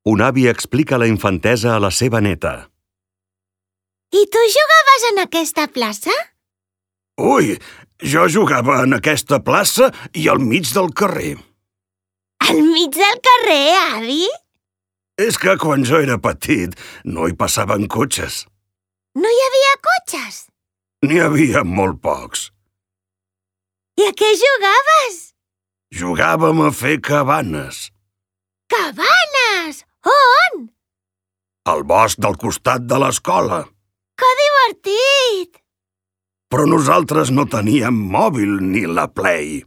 Un avi explica la infantesa a la seva neta. I tu jugaves en aquesta plaça? Ui, jo jugava en aquesta plaça i al mig del carrer. Al mig del carrer, avi? És que quan jo era petit no hi passaven cotxes. No hi havia cotxes? N'hi havia molt pocs. I a què jugaves? Jugàvem a fer cabanes. Cabanes! On? Al bosc del costat de l'escola. Que divertit! Però nosaltres no teníem mòbil ni la Play.